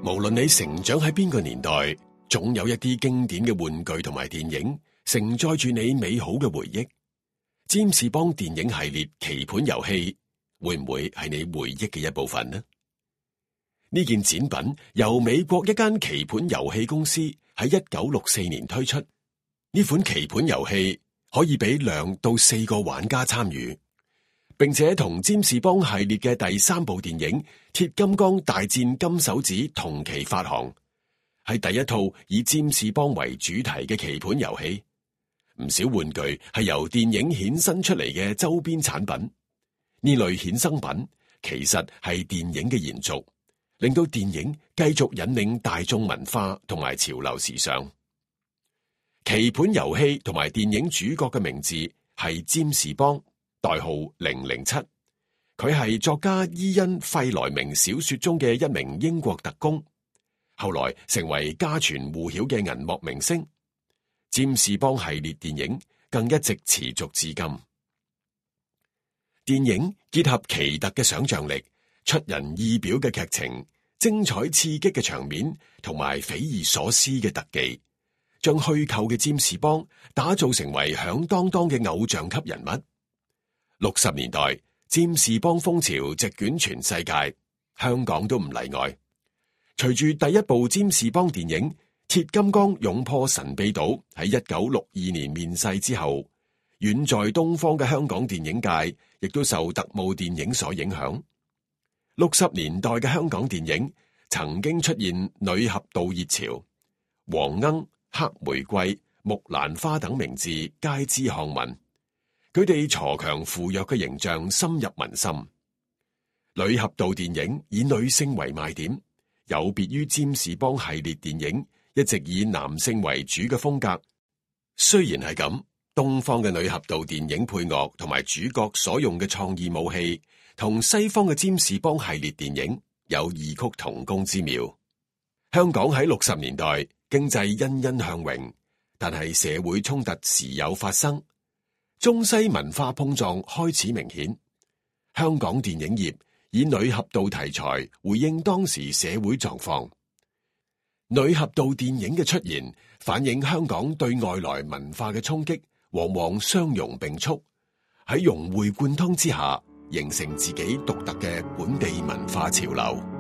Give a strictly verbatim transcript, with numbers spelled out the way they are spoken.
無論你成長喺邊個年代，總有一啲經典嘅玩具同埋電影承載住你美好嘅回憶。占士邦電影系列棋盤遊戲會唔會係你回憶嘅一部分呢？呢件展品由美國一間棋盤遊戲公司喺一九六四年推出。呢款棋盤遊戲可以俾兩到四個玩家參與，並且同占士邦系列嘅第三部電影《鐵金剛大戰金手指》同期發行，係第一套以占士邦為主題嘅棋盤遊戲。唔少玩具係由電影衍生出嚟嘅周邊產品，呢類衍生品其實係電影嘅延續，令到電影繼續引領大眾文化同埋潮流時尚。棋盤遊戲同埋電影主角嘅名字係占士邦，代號零零七。佢係作家伊恩·費萊明小說中嘅一名英國特工，後來成為家傳戶曉嘅銀幕明星。占士邦系列電影更一直持續至今。電影結合奇特嘅想象力、出人意表嘅劇情、精彩刺激嘅場面同埋匪夷所思嘅特技，將虛構嘅占士邦打造成為響當當嘅偶像級人物。六十年代，占士邦風潮席捲全世界，香港都唔例外。隨住第一部占士邦電影鐵金剛勇破神秘島喺一九六二年面世之後，遠在東方嘅香港電影界亦都受特務電影所影響。六十年代嘅香港電影曾經出現女俠盜熱潮，黃鶯、黑玫瑰、木蘭花等名字皆知巷聞，佢哋鋤強扶弱嘅形象深入民心。女俠盜電影以女性為賣點，有別於占士邦系列電影一直以男性為主嘅風格。雖然係咁，東方嘅女俠盜電影配樂同埋主角所用嘅創意武器，同西方嘅占士邦系列電影有異曲同工之妙。香港喺六十年代經濟欣欣向榮，但係社會衝突時有發生，中西文化碰撞開始明顯。香港電影業以女俠盜題材回應當時社會狀況。女俠盜電影嘅出現，反映香港對外來文化嘅衝擊，往往相容並蓄，喺融會貫通之下，形成自己獨特嘅本地文化潮流。